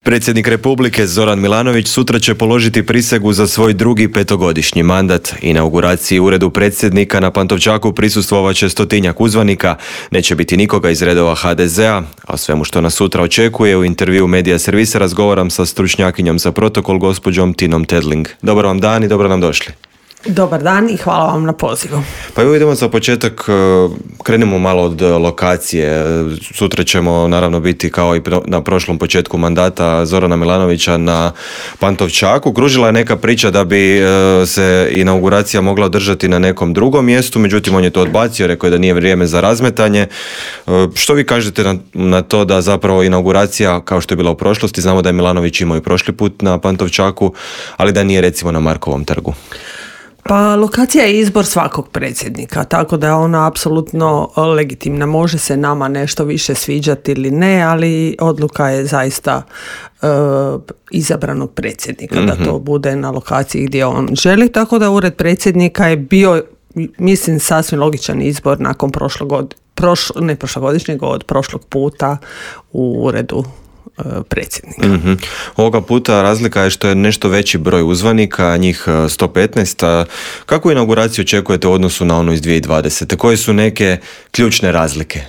Predsjednik Republike Zoran Milanović sutra će položiti prisegu za svoj drugi petogodišnji mandat. Inauguraciji u uredu predsjednika na Pantovčaku prisustvovat će 100-tinjak uzvanika, neće biti nikoga iz redova HDZ-a, a o svemu što nas sutra očekuje u intervju Medija Servisa razgovaram sa stručnjakinjom za protokol gospođom Tinom Tedling. Dobar vam dan i dobro nam došli. Dobar dan i hvala vam na pozivu. Pa evo idemo za početak, krenemo malo od lokacije. Sutra ćemo naravno biti kao i na prošlom početku mandata Zorana Milanovića na Pantovčaku. Kružila je neka priča da bi se inauguracija mogla održati na nekom drugom mjestu, međutim on je to odbacio, rekao je da nije vrijeme za razmetanje. Što vi kažete na to da zapravo inauguracija, kao što je bila u prošlosti, znamo da je Milanović imao i prošli put na Pantovčaku, ali da nije recimo na Markovom trgu? Pa lokacija je izbor svakog predsjednika, tako da je ona apsolutno legitimna. Može se nama nešto više sviđati ili ne, ali odluka je zaista izabranog predsjednika da to bude na lokaciji gdje on želi, tako da ured predsjednika je bio, mislim, sasvim logičan izbor nakon od prošlog puta u uredu predsjednika. Ovoga puta razlika je što je nešto veći broj uzvanika, njih 115. Kakvu inauguraciju očekujete u odnosu na onu iz 2020? Koje su neke ključne razlike?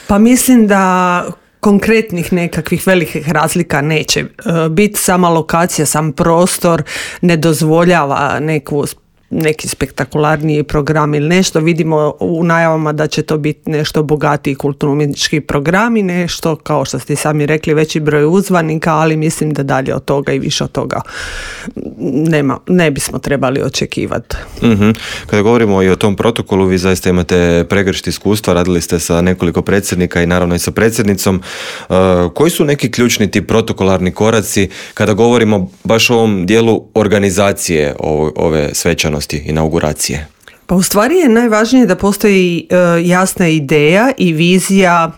Pa mislim da konkretnih nekakvih velikih razlika neće biti. Sama lokacija, sam prostor ne dozvoljava neki spektakularniji program ili nešto. Vidimo u najavama da će to biti nešto bogatiji kulturno-umjetnički programi, nešto, kao što ste sami rekli, veći broj uzvanika, ali mislim da dalje od toga i više od toga ne bismo trebali očekivati. Kada govorimo i o tom protokolu, vi zaista imate pregršt iskustva, radili ste sa nekoliko predsjednika i naravno i sa predsjednicom. Koji su neki ključni ti protokolarni koraci kada govorimo baš o ovom dijelu organizacije ove svečanosti, inauguracije? Pa u stvari je najvažnije da postoji jasna ideja i vizija,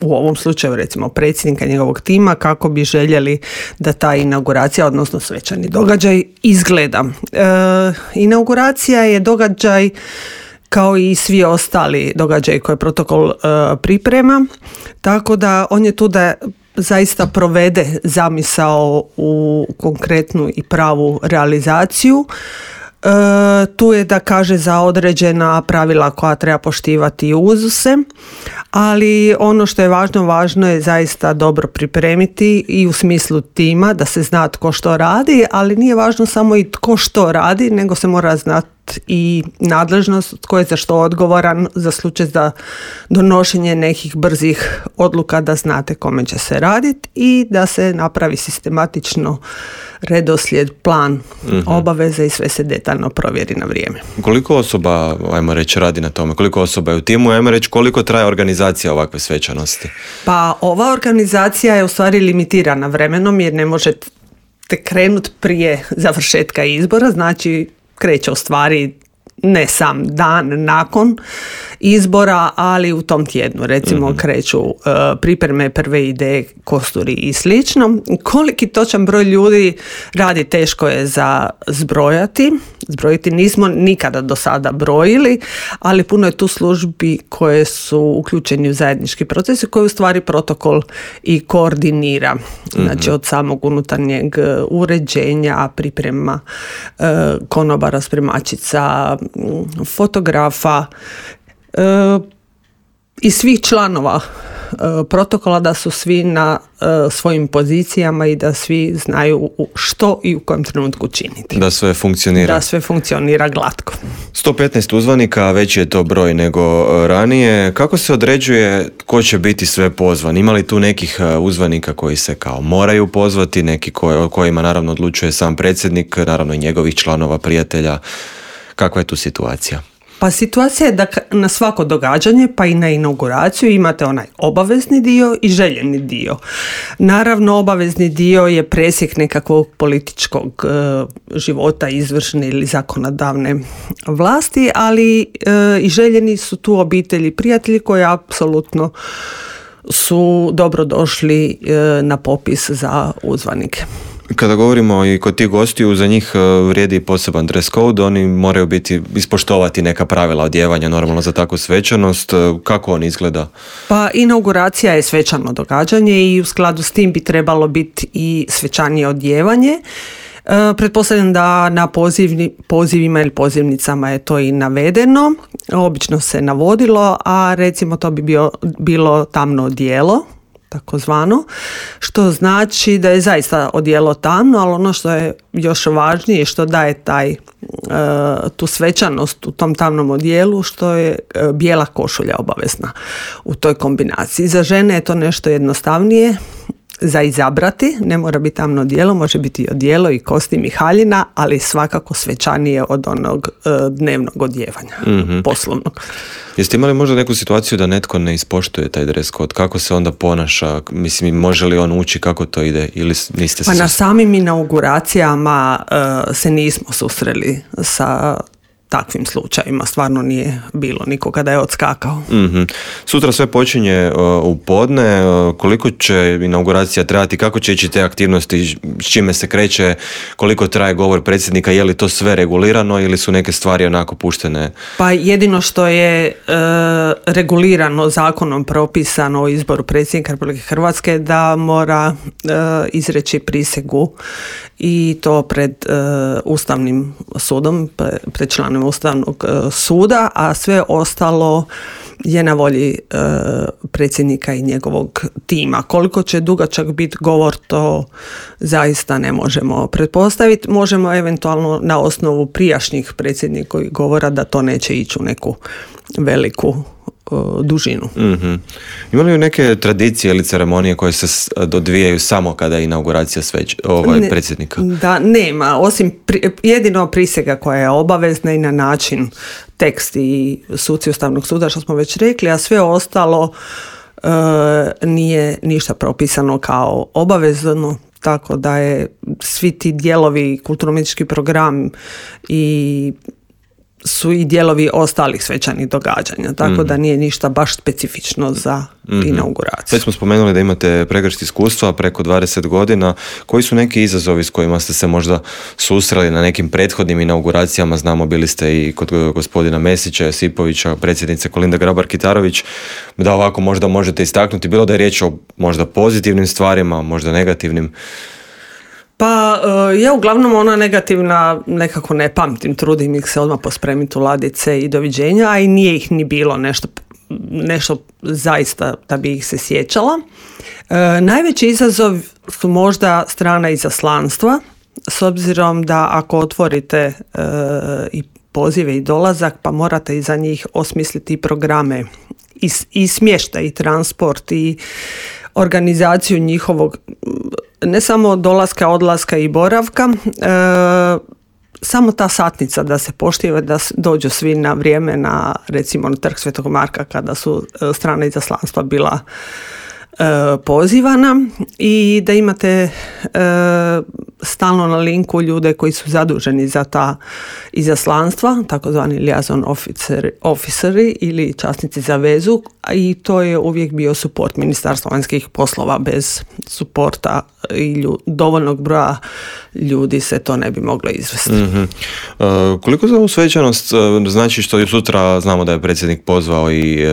u ovom slučaju recimo predsjednika njegovog tima, kako bi željeli da ta inauguracija, odnosno svečani događaj, izgleda. Inauguracija je događaj kao i svi ostali događaji koje protokol priprema, tako da on je tu da zaista provede zamisao u konkretnu i pravu realizaciju. Tu je da kaže za određena pravila koja treba poštivati i uzuse, ali ono što je važno je zaista dobro pripremiti i u smislu tima, da se zna tko što radi, ali nije važno samo i tko što radi, nego se mora znati i nadležnost, tko je za što odgovoran, za slučaj za donošenje nekih brzih odluka, da znate kome će se raditi i da se napravi sistematično redoslijed, plan obaveze i sve se detaljno provjeri na vrijeme. Koliko osoba, ajmo reći, radi na tome? Koliko osoba je u timu? Ajmo reći, koliko traje organizacija ovakve svečanosti? Pa ova organizacija je u stvari limitirana vremenom jer ne možete krenuti prije završetka izbora, znači kreće u stvari ne sam dan nakon izbora, ali u tom tjednu recimo kreću pripreme, prve ideje, kosturi i slično. Koliki točan broj ljudi radi, teško je za zbrojiti nismo nikada do sada brojili, ali puno je tu službi koje su uključeni u zajednički proces koji u stvari protokol i koordinira. Znači od samog unutarnjeg uređenja, priprema konobara, spremačica, fotografa i svih članova protokola, da su svi na svojim pozicijama i da svi znaju što i u kojem trenutku činiti. Da sve funkcionira. Da sve funkcionira glatko. 115 uzvanika, veći je to broj nego ranije. Kako se određuje ko će biti sve pozvan? Ima li tu nekih uzvanika koji se kao moraju pozvati, neki o kojima naravno odlučuje sam predsjednik, naravno i njegovih članova, prijatelja? Kakva je tu situacija? Pa situacija je da na svako događanje, pa i na inauguraciju, imate onaj obavezni dio i željeni dio. Naravno, obavezni dio je presjek nekakvog političkog života, izvršne ili zakonodavne vlasti, ali i željeni su tu obitelji i prijatelji koji apsolutno su dobro došli na popis za uzvanike. Kada govorimo i kod tih gostiju, za njih vrijedi poseban dress code, oni moraju ispoštovati neka pravila odjevanja normalno za takvu svečanost. Kako on izgleda? Pa inauguracija je svečano događanje i u skladu s tim bi trebalo biti i svečanije odjevanje. Pretpostavljam da na pozivima ili pozivnicama je to i navedeno, obično se navodilo, a recimo to bi bilo tamno odijelo, takozvano, što znači da je zaista odijelo tamno, ali ono što je još važnije, što daje tu svečanost u tom tamnom odijelu, što je bijela košulja obavezna u toj kombinaciji. Za žene je to nešto jednostavnije za izabrati, ne mora biti tamno odijelo, može biti odijelo i kostim i haljina, ali svakako svečanije od onog dnevnog odjevanja, poslovnog. Jeste imali možda neku situaciju da netko ne ispoštuje taj dress code? Kako se onda ponaša? Mislim, može li on ući kako to ide ili niste se... Pa na samim inauguracijama se nismo susreli sa takvim slučajima, stvarno nije bilo nikoga da je odskakao. Mm-hmm. Sutra sve počinje u podne, koliko će inauguracija trajati, kako će ići te aktivnosti, s čime se kreće, koliko traje govor predsjednika, je li to sve regulirano ili su neke stvari onako puštene? Pa jedino što je regulirano zakonom propisano o izboru predsjednika Republike Hrvatske da mora izreći prisegu i to pred Ustavnim sudom, pred članom Ustavnog suda, a sve ostalo je na volji predsjednika i njegovog tima. Koliko će dugačak biti govor, to zaista ne možemo pretpostaviti. Možemo eventualno na osnovu prijašnjih predsjednikovih govora da to neće ići u neku veliku dužinu. Mm-hmm. Ima li neke tradicije ili ceremonije koje se odvijaju samo kada je inauguracija predsjednika? Da, nema. Osim jedino prisega koja je obavezna i na način tekst i suci Ustavnog suda, što smo već rekli, a sve ostalo nije ništa propisano kao obavezno, tako da je svi ti dijelovi, kulturno-umjetnički program i su i dijelovi ostalih svečanih događanja, tako da nije ništa baš specifično za inauguraciju. Već smo spomenuli da imate pregršt iskustva, preko 20 godina. Koji su neki izazovi s kojima ste se možda susreli na nekim prethodnim inauguracijama? Znamo, bili ste i kod gospodina Mesića, Josipovića, predsjednice Kolinde Grabar-Kitarović, da ovako možda možete istaknuti, bilo da je riječ o možda pozitivnim stvarima, možda negativnim. Pa ja uglavnom ona negativna nekako ne pamtim, trudim ih se odmah pospremiti u ladice i doviđenja, a i nije ih ni bilo nešto zaista da bi ih se sjećala. Najveći izazov su možda strana izaslanstva, s obzirom da ako otvorite i pozive i dolazak, pa morate iza njih osmisliti programe i smještaj i transport i organizaciju njihovog ne samo dolaska, odlaska i boravka, samo ta satnica da se poštiva, da dođu svi na vrijeme na recimo na Trg Svetog Marka kada su strana izaslanstva bila pozivana i da imate stalno na linku ljude koji su zaduženi za ta izaslanstva, takozvani liaison officeri ili časnici za vezu, i to je uvijek bio suport Ministarstva vanjskih poslova. Bez suporta i dovoljnog broja ljudi se to ne bi moglo izvesti. Mm-hmm. Koliko za ovu svečanost znači što sutra znamo da je predsjednik pozvao i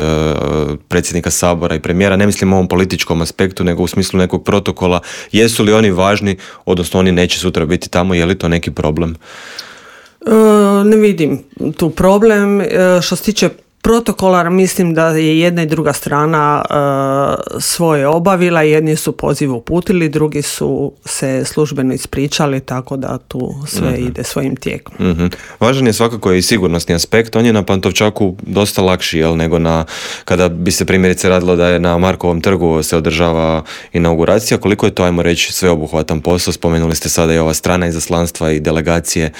predsjednika Sabora i premijera, ne mislim u ovom političkom aspektu, nego u smislu nekog protokola, jesu li oni važni, odnosno oni neće sutra biti tamo, je li to neki problem? Ne vidim tu problem. Što se tiče protokola, mislim da je jedna i druga strana svoje obavila, jedni su poziv uputili, drugi su se službeno ispričali, tako da tu sve ide svojim tijekom. Mm-hmm. Važan je svakako i sigurnosni aspekt, on je na Pantovčaku dosta lakši, nego kada bi se primjerice radilo da je na Markovom trgu se održava inauguracija, koliko je to, ajmo reći, sveobuhvatan posao, spomenuli ste sada i ova strana izaslanstva i delegacije.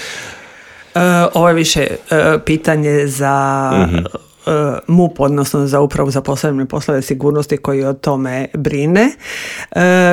Ovo je više pitanje za MUP, odnosno za upravu za posebne poslove sigurnosti koji o tome brine.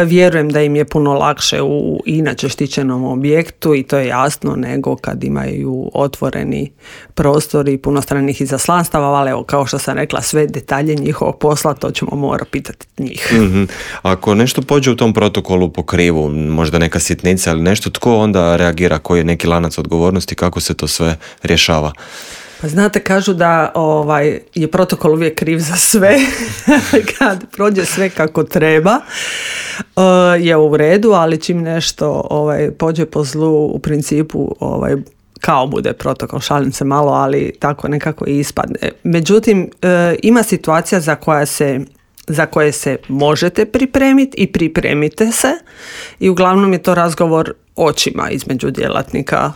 Vjerujem da im je puno lakše u inače štićenom objektu i to je jasno nego kad imaju otvoreni prostor i puno stranih izaslanstava, ali evo, kao što sam rekla, sve detalje njihovog posla, to ćemo morati pitati njih. Mm-hmm. Ako nešto pođe u tom protokolu po krivu, možda neka sitnica ili nešto, tko onda reagira, koji je neki lanac odgovornosti, kako se to sve rješava? Pa znate, kažu da je protokol uvijek kriv za sve. Kad prođe sve kako treba je u redu, ali čim nešto pođe po zlu, u principu kao bude protokol, šalim se malo, ali tako nekako i ispadne. Međutim, ima situacija za koje se možete pripremiti i pripremite se i uglavnom je to razgovor očima između djelatnika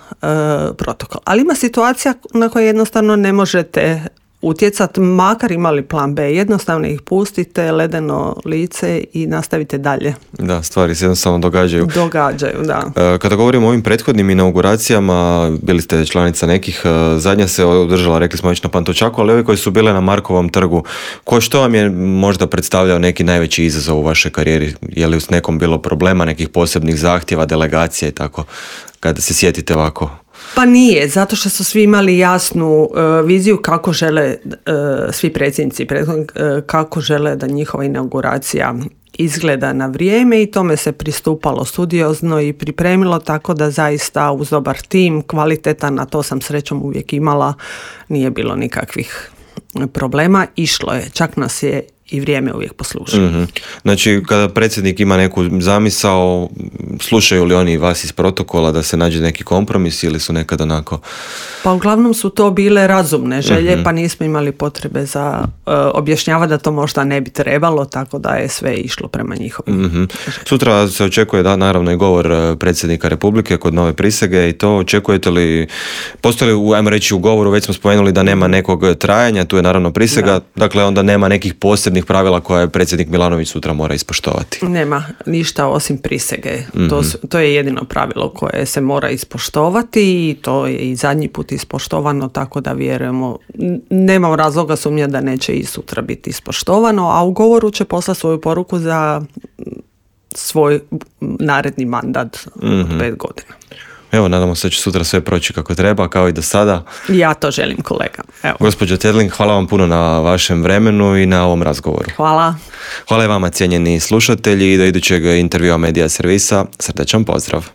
protokola. Ali ima situacija na koje jednostavno ne možete utjecati, makar imali plan B. Jednostavno ih pustite, ledeno lice i nastavite dalje. Da, stvari se jednostavno događaju. Događaju, da. Kada govorimo o ovim prethodnim inauguracijama, bili ste članica nekih, zadnja se održala, rekli smo već na Pantovčaku, ali ovi koji su bile na Markovom trgu, što vam je možda predstavljao neki najveći izazov u vašoj karijeri? Je li s nekom bilo problema, nekih posebnih zahtjeva, delegacija i tako, kada se sjetite ovako? Pa nije, zato što su svi imali jasnu viziju kako žele, svi predsjednici, kako žele da njihova inauguracija izgleda na vrijeme i tome se pristupalo studiozno i pripremilo, tako da zaista uz dobar tim, kvalitetan, na to sam srećom uvijek imala, nije bilo nikakvih problema, išlo je, čak nas je i vrijeme uvijek posluša. Mm-hmm. Znači, kada predsjednik ima neku zamisao, slušaju li oni vas iz protokola da se nađe neki kompromis ili su nekad onako? Pa uglavnom su to bile razumne želje, mm-hmm. pa nismo imali potrebe za objašnjavati da to možda ne bi trebalo, tako da je sve išlo prema njihovim. Mm-hmm. Sutra se očekuje da naravno i govor predsjednika Republike kod nove prisege i to očekujete li, postoji li, ajmo reći, u govoru, već smo spomenuli da nema nekog trajanja, tu je naravno prisega, da. Dakle onda nema nekih posebnih pravila koje predsjednik Milanović sutra mora ispoštovati. Nema ništa osim prisege. Mm-hmm. To je jedino pravilo koje se mora ispoštovati i to je i zadnji put ispoštovano, tako da vjerujemo, nema razloga sumnja da neće i sutra biti ispoštovano, a u govoru će poslati svoju poruku za svoj naredni mandat od 5 godina. Evo, nadamo se da će sutra sve proći kako treba, kao i do sada. Ja to želim, kolega. Evo. Gospođo Tedling, hvala vam puno na vašem vremenu i na ovom razgovoru. Hvala. Hvala i vama, cijenjeni slušatelji, i do idućeg intervjua Medija servisa. Srdačan pozdrav.